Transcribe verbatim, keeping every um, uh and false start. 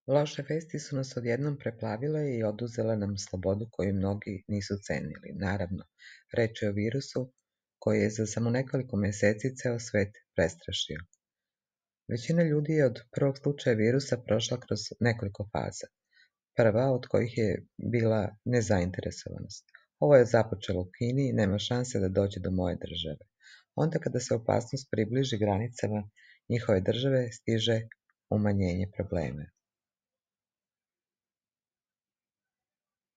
Loše vesti su nas odjednom preplavile i oduzele nam slobodu koju mnogi nisu cenili. Naravno, reč je o virusu koji je za samo nekoliko meseci ceo svet prestrašio. Većina ljudi je od prvog slučaja virusa prošla kroz nekoliko faza. Prva od kojih je bila nezainteresovanost. Ovo je započelo u Kini i nema šanse da dođe do moje države. Onda kada se opasnost približi granicama njihove države, stiže umanjenje problema.